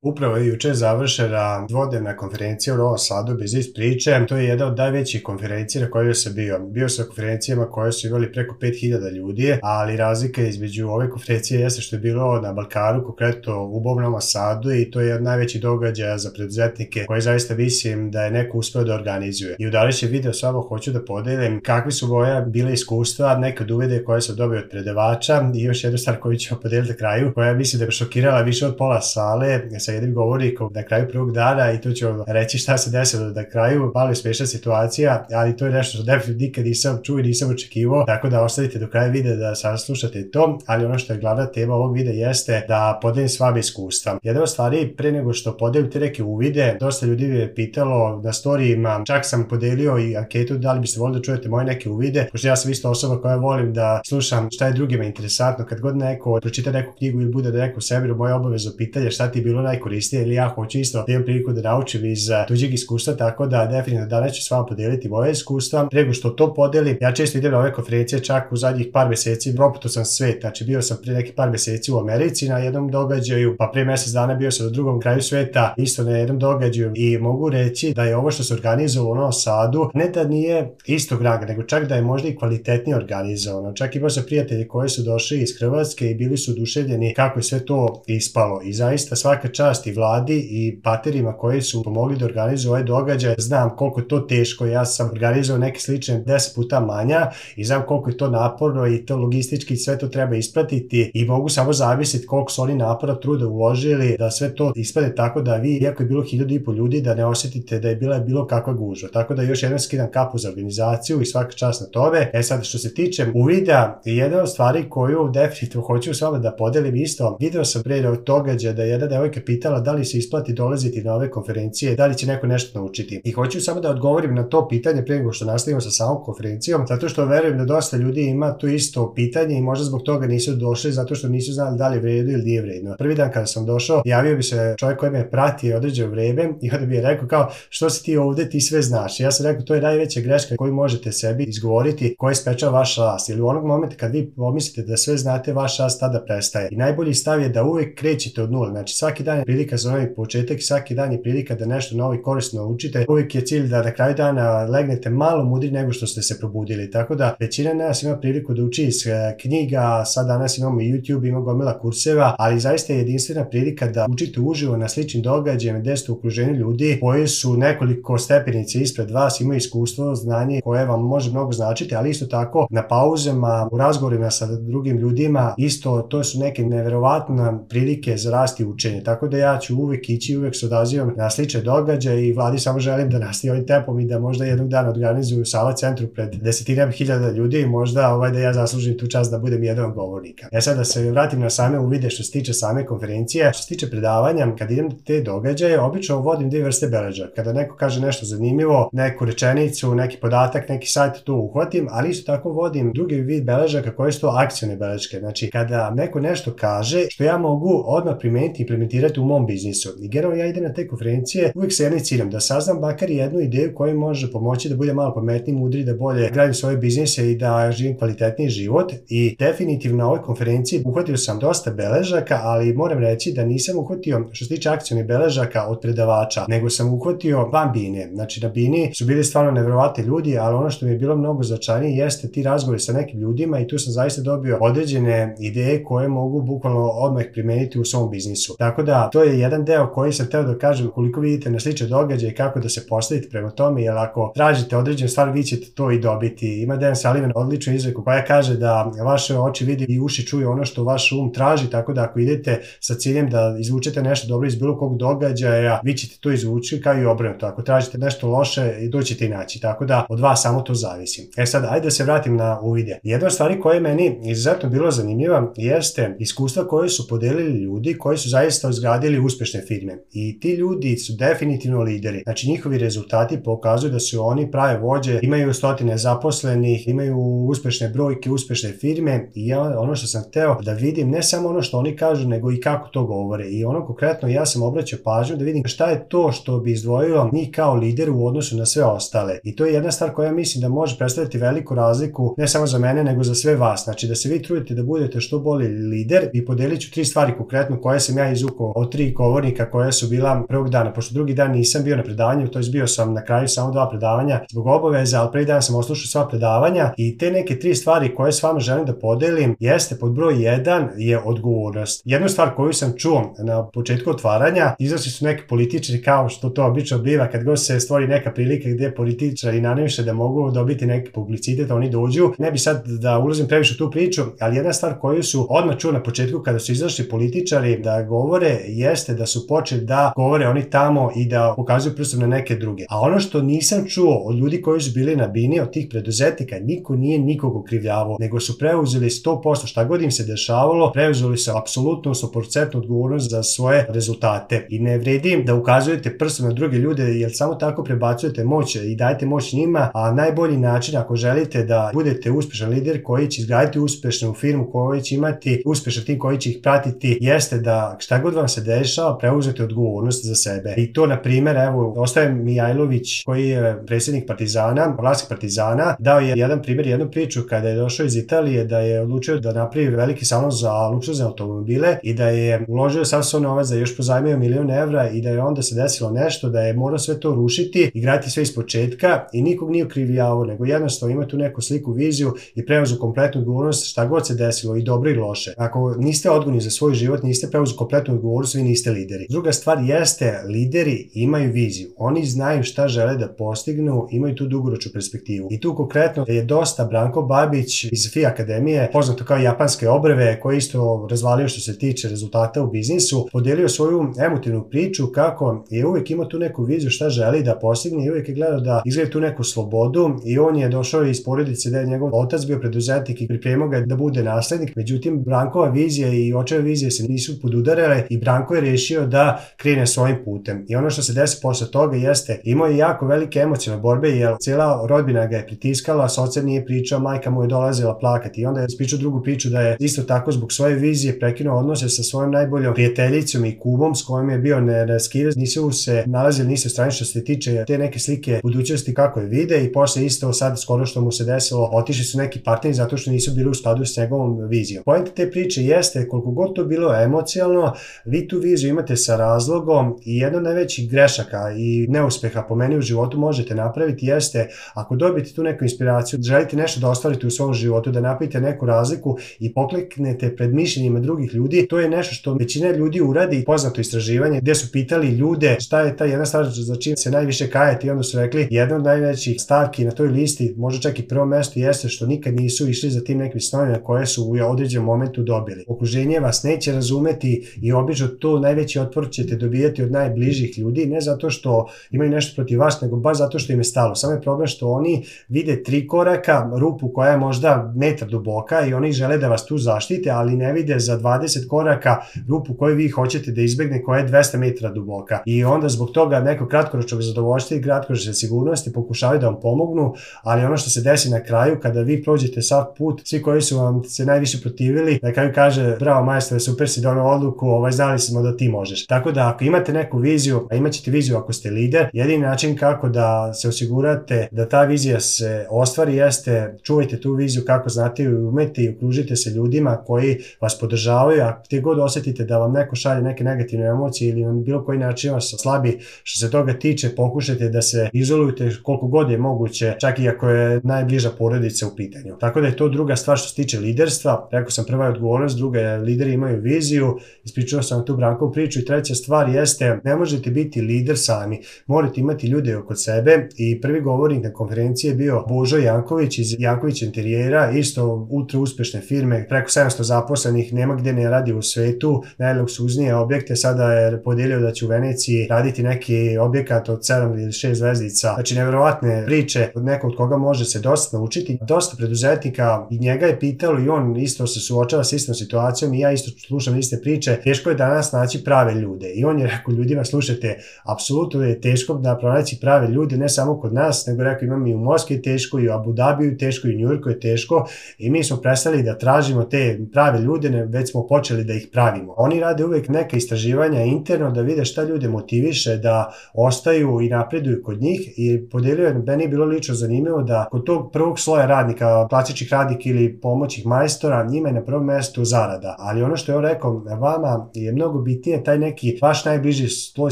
Upravo je juče završena dvodnevna konferencija u Novom Sadu Biznis priče. To je jedna od najvećih konferencija na kojoj sam bio. Bio sam na konferencijama koje su imali preko 5000 ljudi, ali razlika između ove konferencije jeste što je bilo na Balkanu, konkretno u Novom Sadu, i to je jedan najveći događaj za preduzetnike koji zaista mislim da je neko uspeo da organizuje. I u današnjem videu s vama hoću da podelim kakvi su moja bile iskustva, neke od uvide koje sam dobio od predavača i još jednu stvar koju ću podeliti na kraju, koja mislim da je šokirala više od pola sale sa jednim govornikom na kraju prvog dana, i tu ću vam reći šta se desilo na kraju. Malo je smiješna situacija, ali to je nešto što definitivno nikad nisam čuo i nisam očekivao, tako da ostavite do kraja videa da saslušate to. Ali ono što je glavna tema ovog videa jeste da podelim s vama iskustva. Jedna od stvari, pre nego što podelim te neke uvide, dosta ljudi mi je pitalo na storijima, čak sam podelio i anketu da li biste volili da čujete moje neke uvide, pošto ja sam isto osoba koja volim da slušam šta je drugima interesantno. Kad god neko pročita neku knjigu ili bude da neko sebi moje obavezno pitanje šta ti je bilo najkorisnije, ili ja hoću isto da imam priliku da naučim iz tuđeg iskustva, tako da definitivno danas ću s vama podeliti moje iskustva. Pre nego što to podelim, ja često idem na ove konferencije, čak u zadnjih par meseci proputao sam svet. Znači bio sam pre neki par meseci u Americi na jednom događaju, pa pre mesec dana bio sam na drugom kraju sveta isto na jednom događaju, i mogu reći da je ovo što se organizovalo u Novom Sadu ne da nije istog ranga, nego čak da je možda i kvalitetnije organizovano. Čak imao sam prijatelji koji su došli iz Hrvatske i bili su oduševljeni kako je sve to ispalo, i zaista svaka čast i Vladi i paterima koji su pomogli da organizuju ovaj događaj. Znam koliko je to teško, ja sam organizovao neke slične 10 puta manja i znam koliko je to naporno i to logistički sve to treba ispratiti, i mogu samo zamisliti koliko su oni napora, truda uložili da sve to ispade tako da vi, iako je bilo 1500 ljudi, da ne osjetite da je bila bilo kakva gužva. Tako da još jednom skidam kapu za organizaciju i svaka čast na tome. Sad što se tiče uvida, jedna od stvari koju definitivno hoću s vama da podelim isto, video sam pre događaja da je jedna devojka pitala da li se isplati dolaziti na ove konferencije, da li će neko nešto naučiti. I hoću samo da odgovorim na to pitanje pre nego što nastavimo sa samom konferencijom, zato što verujem da dosta ljudi ima to isto pitanje i možda zbog toga nisu došli, zato što nisu znali da li je vredno ili nije vredno. Prvi dan kada sam došao, javio bi se čovjek koji me prati određeno vreme i onda bi je rekao kao, što si ti ovde, ti sve znaš. I ja sam rekao, to je najveća greška koju možete sebi izgovoriti, koja sprečava vaš rast. Ili u onog momenta kad vi pomislite da sve znate, vaš rast tada prestaje. I najbolji stav je da uvek krećete od nule. Znači svaki dan je prilika za novi početak, svaki dan je prilika da nešto novo i korisno naučite. Uvijek je cilj da na kraju dana legnete malo mudri nego što ste se probudili. Tako da većina nas ima priliku da uči iz knjiga, sad danas imamo i YouTube, imamo gomila kurseva, ali zaista je jedinstvena prilika da učite uživo na sličnim događajima gde ste u okruženju ljudi koji su nekoliko stepenice ispred vas, imaju iskustvo, znanje koje vam može mnogo značiti, ali isto tako na pauzama, u razgovorima sa drugim ljudima, isto to su neke neverovatne prilike za rast i učenje. Tako da ja ću uvek ići, uvek se odazivam na slične događaje i Vladi samo želim da nastavi ovim tempom i da možda jednog dana organizuju u Sava centru pred desetinama hiljada ljudi i možda da ja zaslužim tu čast da budem jedan od govornika. Sad da se vratim na same uvide što se tiče same konferencije. Što se tiče predavanja, kad idem te događaje, obično vodim dvije vrste beležaka. Kada neko kaže nešto zanimljivo, neku rečenicu, neki podatak, neki sajt, to uhvatim, ali isto tako vodim drugi vid beležaka koji su to akcione beleške. Znači kada neko nešto kaže što ja mogu odmah primeniti i implementirati u mom biznisu. I generalno ja idem na te konferencije uvijek sa jednim ciljem, da saznam bakar jednu ideju koja može pomoći da bude malo pametniji, mudri, da bolje gradim svoje biznise i da živim kvalitetniji život. I definitivno na ovoj konferenciji uhvatio sam dosta beležaka, ali moram reći da nisam uhvatio što se tiče akcionih beležaka od predavača, nego sam uhvatio van bine. Znači na bini su bili stvarno neverovatni ljudi, ali ono što mi je bilo mnogo značajnije jeste ti razgovori sa nekim ljudima, i tu sam zaista dobio određene ideje koje mogu bukvalno odmah primeniti u svom biznisu. Tako da to je jedan deo koji sam hteo da kažem koliko vidite na slične događaje i kako da se postavite prema tome, jer ako tražite određenu stvar, vi ćete to i dobiti. Ima Dan Sullivan odličnu izreku koja kaže da vaše oči vidi i uši čuju ono što vaš um traži, tako da ako idete sa ciljem da izvučete nešto dobro iz bilo kog događaja, vi ćete to izvući, kao i obrnuto. Ako tražite nešto loše, to ćete i naći. Tako da od vas samo to zavisi. Sad, ajde da se vratim na uvide. Jedna od stvari koja je meni izuzetno bilo zanimljiva jeste iskustva koje su podelili ljudi koji su zaista izgradili uspešne firme. I ti ljudi su definitivno lideri. Znači njihovi rezultati pokazuju da su oni prave vođe, imaju stotine zaposlenih, imaju uspešne brojke, uspešne firme, i ja ono što sam hteo da vidim, ne samo ono što oni kažu, nego i kako to govore. I ono konkretno ja sam obraćao pažnju da vidim šta je to što bi izdvojilo njih kao lider u odnosu na sve ostale. I to je jedna stvar koja mislim da može predstaviti veliku razliku, ne samo za mene, nego za sve vas. Znači da se vi trudite da budete što bolji lider, i podelit ću 3 stvari konkretno koje sam ja izvukao od 3 govornika koja su bila prvog dana, pošto drugi dan nisam bio na predavanju, to je bio sam na kraju samo 2 predavanja zbog obaveza, ali prvi dan sam oslušao sva predavanja i te neke 3 stvari koje s vama želim da podelim jeste pod broj 1 je odgovornost. Jednu stvar koju sam čuo na početku otvaranja, izašli su neki političari kao što to obično biva kad god se stvori neka prilika gdje političari naniše da mogu dobiti neki publicitet, oni dođu. Ne bi sad da ulazim previše u tu priču, ali jedna stvar koju su odmah čuo na početku kada su izašli političari da govore jeste da su počeli da govore oni tamo i da pokazuju prstom na neke druge. A ono što nisam čuo od ljudi koji su bili na bini, od tih preduzetnika, niko nije nikog okrivljavao, nego su preuzeli 100% šta god im se dešavalo, preuzeli su apsolutno 100% odgovornost za svoje rezultate. I ne vredi da ukazujete prstom na druge ljude, jer samo tako prebacujete moć i dajete moć njima, a najbolji način ako želite da budete uspešan lider koji će izgraditi uspešnu firmu, koji će imati uspešan tim koji će ih pratiti, jeste da šta god vam se dešava, preuzete odgovornost za sebe. I to, na primjer, evo, Ostaje Mijajlović, koji je predsjednik Partizana, vlasnik Partizana, dao je jedan primjer, jednu priču kada je došao iz Italije, da je odlučio da napravi veliki salon za luksuzne automobile i da je uložio sav svoj novac, da je još pozajmio 1.000.000 evra i da je onda se desilo nešto, da je morao sve to rušiti i graditi sve iz početka i nikog nije okrivljavao, nego jednostavno ima tu neku sliku, viziju i preuzeo kompletnu odgovornost šta god se desilo, i dobro i loše. Ako niste odgovorni za svoj život, niste preuzeli kompletnu odgovornost, vi niste lideri. Druga stvar jeste, lideri imaju viziju. Oni znaju šta žele da postignu, imaju tu dugoročnu perspektivu. I tu konkretno je dosta Branko Babić iz FI Akademije, poznato kao japanske obrve, koji isto razvalio što se tiče rezultata u biznisu, podelio svoju emotivnu priču kako je uvijek imao tu neku viziju šta želi da postigne i uvijek je gledao da izgleda tu neku slobodu, i on je došao iz porodice da je njegov otac bio preduzetnik i pripremao ga da bude naslednik. Međutim, Brankova vizija i očeva vizije se nisu podudarale i Branko je rešio da krene svojim putem. I ono što se desi posle toga jeste, imao je jako velike emocionalne borbe, jer cijela rodbina ga je pritiskala, s ocem nije pričao, majka mu je dolazila plakati, i onda je ispričao drugu priču da je isto tako zbog svoje vizije prekinuo odnose sa svojom najboljom prijateljicom i kumom s kojom je bio neraskidiv. Nisu se nalazili ni sa strane što se tiče te neke slike budućnosti kako je vide, i posle isto sad skoro što mu se desilo, otišli su neki partneri zato što nisu bili u skladu s njegovom vizijom. Point te priče jeste, koliko god to bilo emocionalno, vi tu viziju imate sa razlogom, i jedna od najvećih grešaka i neuspeha po meni u životu možete napraviti jeste, ako dobijete tu neku inspiraciju, želite nešto da ostvarite u svom životu, da napravite neku razliku i pokleknete pred mišljenjima drugih ljudi, to je nešto što većina ljudi uradi. Poznato istraživanje gdje su pitali ljude šta je ta jedna stvar za čim se najviše kajete, i onda su rekli jedna od najvećih stavki na toj listi, možda čak i prvo mesto, jeste što nikad nisu išli za tim nekim snovima koje su u određenom momentu dobili. Okruženje vas neće razumeti i obično to najveći otpor ćete dobijati od najbližih ljudi, ne zato što imaju nešto protiv vas, nego baš zato što im je stalo. Samo je problem što oni vide 3 koraka, rupu koja je možda metar duboka i oni žele da vas tu zaštite, ali ne vide za 20 koraka rupu koju vi hoćete da izbegne, koja je 200 metara duboka. I onda zbog toga neko kratkoročnog zadovoljstva i kratkoročne sigurnosti pokušavaju da vam pomognu, ali ono što se desi na kraju, kada vi prođete sav put, svi koji su vam se najviše protivili, na kraju kaže bravo majstore, super si doneo odluku, znali smo da ti možeš. Tako da ako imate neku viziju, a imat ćete viziju ako ste lider, jedini način kako da se osigurate da ta vizija se ostvari jeste čuvajte tu viziju kako znate i umete, i okružite se ljudima koji vas podržavaju. A gdje god osjetite da vam neko šalje neke negativne emocije ili na bilo koji način vas slabi što se toga tiče, pokušajte da se izolujete koliko god je moguće, čak i ako je najbliža porodica u pitanju. Tako da je to druga stvar što se tiče liderstva. Rekao sam, prva je odgovornost, druga je lideri imaju viziju, ispričao sam tu Brankovu priču, i treća stvar jeste, ne možete biti lider sami, morate imati ljude oko sebe. I prvi govornik na konferenciji je bio Božo Janković iz Janković Interijera, isto ultra uspešne firme, preko 700 zaposlenih, nema gdje ne radi u svetu, najluksuznije objekte, sada je podelio da će u Veneciji raditi neki objekat od 7 ili 6 zvezdica. Znači, nevjerovatne priče od nekog od koga može se dosta naučiti. Dosta preduzetnika i njega je pitalo, i on isto se suočava s istom situacijom, i ja isto slušam iste priče, teško je danas naći prave ljude. I on je rekao ljudima, slušajte, apsolutno je teško da pronaći prave ljude, ne samo kod nas, nego rekao imam i u Moskvi je teško, i u Abu Dhabiju teško, i u Njujorku je teško, i mi smo prestali da tražimo te prave ljude, već smo počeli da ih pravimo. Oni rade uvijek neka istraživanja interno da vide šta ljude motiviše da ostaju i napreduju kod njih, i podelio je, meni je bilo lično zanimljivo da kod tog prvog sloja radnika, klasičnih radnika ili pomoćnih majstora, njima je na prvom mjestu zarada. Ali ono što je on rekao, vama je mnogo mnogo bitnije taj neki vaš najbliži sloj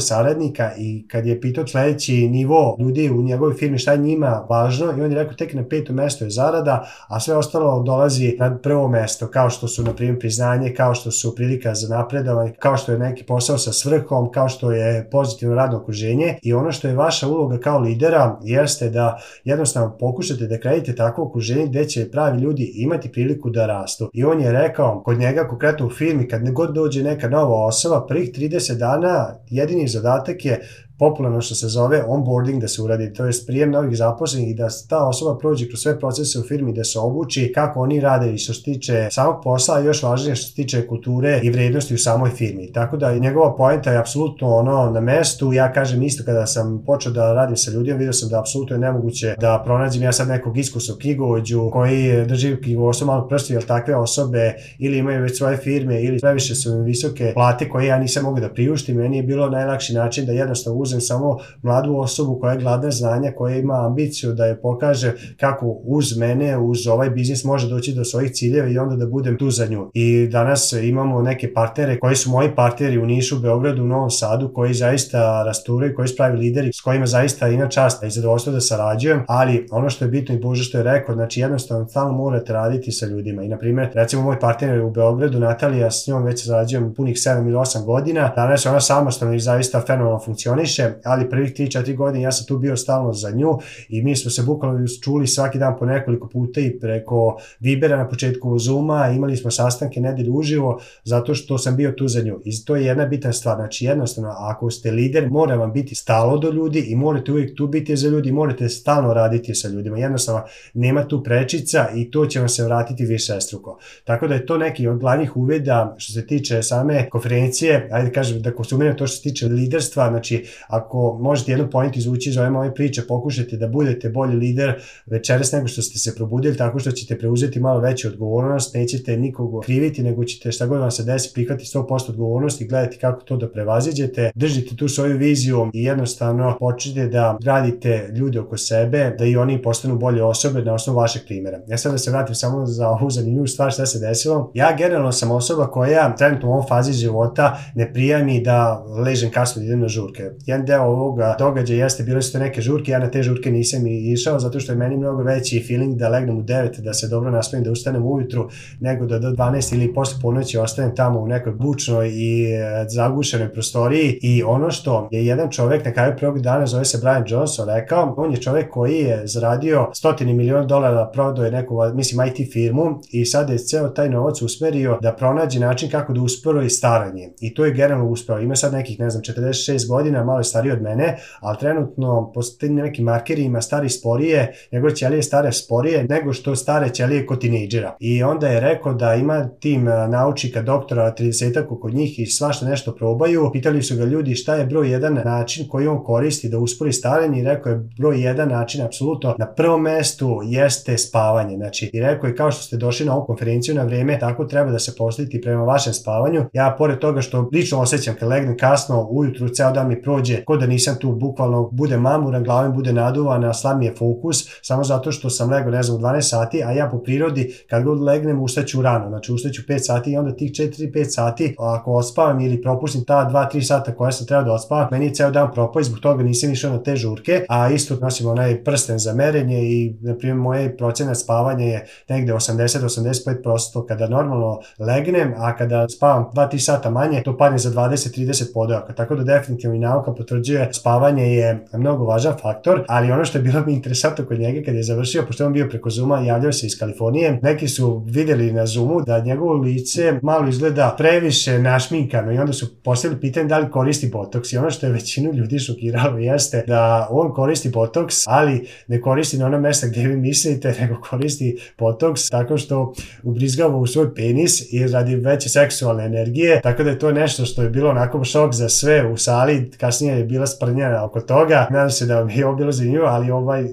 saradnika i kad je pitao sledeći nivo ljudi u njegovoj firmi šta je njima važno i on je rekao tek na 5. mesto je zarada, a sve ostalo dolazi na prvo mesto, kao što su na primjer priznanje, kao što su prilika za napredovanje, kao što je neki posao sa svrhom, kao što je pozitivno radno okruženje. I ono što je vaša uloga kao lidera jeste da jednostavno pokušate da kreirate takvo okruženje gde će pravi ljudi imati priliku da rastu. I on je rekao, kod njega konkretno u firmi, kad god dođe neka nova osoba, prvih 30 dana jedini zadatak je popularno što se zove onboarding da se uradi, to je prijem novih zaposlenih i da ta osoba prođe kroz sve procese u firmi, da se obuči kako oni rade i što se tiče samog posla, a još važnije što se tiče kulture i vrednosti u samoj firmi. Tako da njegova poenta je apsolutno ono na mestu. Ja kažem isto kada sam počeo da radim sa ljudima, vidio sam da apsolutno je nemoguće da pronađem ja sad nekog iskusnog knjigovođu koji drži knjigovodstvo malo prsti, jer takve osobe ili imaju već svoje firme ili previše su im visoke plate koje ja nisam mogao da priuštim. Meni je bilo najlakši način da jednostavno uzem samo mladu osobu koja je gladna znanja, koja ima ambiciju da je pokaže kako uz mene, uz ovaj biznis može doći do svojih ciljeva i onda da budem tu za nju. I danas imamo neke partnere koji su moji partneri u Nišu, Beogradu, u Novom Sadu, koji zaista rasturaju, koji su pravi lideri, s kojima zaista ima čast i zadovoljstvo da sarađujem, ali ono što je bitno i Bože što je rekao, znači jednostavno stalno morate raditi sa ljudima. I na primjer, recimo moj partner u Beogradu, Natalija, s njom već sarađujem punih 7 ili 8 godina, danas ona samostalno i zaista fenomenalno funkcioniše, ali prvih 3-4 godine ja sam tu bio stalno za nju i mi smo se bukvalno čuli svaki dan po nekoliko puta i preko Vibera na početku Zooma, imali smo sastanke nedelju uživo zato što sam bio tu za nju. I to je jedna bitna stvar, znači jednostavno ako ste lider mora vam biti stalo do ljudi i morate uvijek tu biti za ljudi, morate stalno raditi sa ljudima, jednostavno nema tu prečica i to će vam se vratiti višestruko. Tako da je to neki od glavnih uvida što se tiče same konferencije, ajde kažem da konsumiram to što se tiče liderstva, znači ako možete jednu point izvući iz ove moje priče, pokušajte da budete bolji lider večeras nego što ste se probudili, tako što ćete preuzeti malo veću odgovornost, nećete nikogo kriviti, nego ćete šta god vam se desi prihvatiti 100% odgovornosti i gledati kako to da prevaziđete, držite tu svoju viziju i jednostavno počnite da gradite ljude oko sebe, da i oni postanu bolje osobe na osnovu vašeg primjera. Ja sad da se vratim samo za ovu zanimljivu stvar šta se desilo. Ja generalno sam osoba koja trenutno u ovom fazi života ne prija mi da ležem kasno da idem na žurke. Jedan deo ovoga događaja jeste, bile su to neke žurke, ja na te žurke nisam išao zato što je meni mnogo veći feeling da legnem u 9, da se dobro naspavim, da ustanem ujutru, nego da do 12 ili posle ponoći ostanem tamo u nekoj bučnoj i zagušenoj prostoriji. I ono što je jedan čovek na kraju prvog dana, zove se Brian Johnson, rekao, on je čovek koji je zaradio $100 miliona, prodao je neku, mislim, IT firmu i sada je ceo taj novac usmerio da pronađe način kako da uspori staranje. I to je generalno uspeo. Ima sad nekih, ne znam, 46 godina, malo je stariji od mene, ali trenutno po nekim markerima stari sporije, njegove ćelije stare sporije nego što stare ćelije kod tinejdžera. I onda je rekao da ima tim naučnika, doktora, 30-ak kod njih i svašta nešto probaju. Pitali su ga ljudi šta je broj 1 način koji on koristi da uspori starenje i rekao je broj 1 način apsolutno na prvom mestu jeste spavanje. Znači, i rekao je kao što ste došli na ovu konferenciju na vreme, tako treba da se postaviti prema vašem spavanju. Ja pored toga što lično osjećam kad legnem kasno ujutru, ceo dan mi prođe ko da nisam tu, bukvalno bude mamuran, glava mi bude naduvana, slab mi je fokus, samo zato što sam legao, ne znam, u 12 sati, a ja po prirodi kad god legnem ustaću rano, znači ustaću 5 sati i onda tih 4-5 sati, ako odspavam ili propustim ta 2-3 sata koja sam trebao da odspavam, meni je ceo dan propao i zbog toga nisam išao na te žurke, a isto nosim onaj prsten za merenje i, na primjer, moje procenat spavanja je negde 80-85% kada normalno legnem, a kada spavam 2-3 sata manje, to padne za 20-30 podojaka, tako da definitivno i nauka potvrđuje spavanje je mnogo važan faktor, ali ono što je bilo mi interesantno kod njega kad je završio, pošto on bio preko Zooma, javljao se iz Kalifornije, neki su videli na Zoomu da njegovo lice malo izgleda previše našminkano i onda su postavili pitanje da li koristi botoks i ono što je većinu ljudi šokiralo jeste da on koristi botoks, ali ne koristi na ono mesta gdje vi mislite, nego koristi botoks tako što ubrizgava u svoj penis i radi veće seksualne energije, tako da je to nešto što je bilo onako šok za sve u sali, kasnije je bila sprnjena oko toga. Nadam se da vam je ovo bilo zanimljivo, ali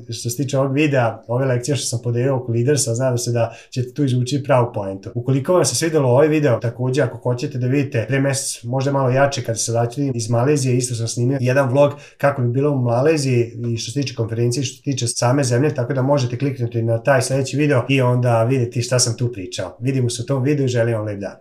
što se tiče ovog videa, ove lekcije što sam podelio oko liderstva, nadam se da ćete tu izvući pravu poentu. Ukoliko vam se svidelo ovaj video, također ako hoćete da vidite pre mesec možda malo jače kada se vraćam iz Malezije, isto sam snimio jedan vlog kako bi bilo u Maleziji i što se tiče konferencije, što se tiče same zemlje, tako da možete kliknuti na taj sledeći video i onda vidjeti šta sam tu pričao. Vidimo se u tom videu i želim vam lep dan.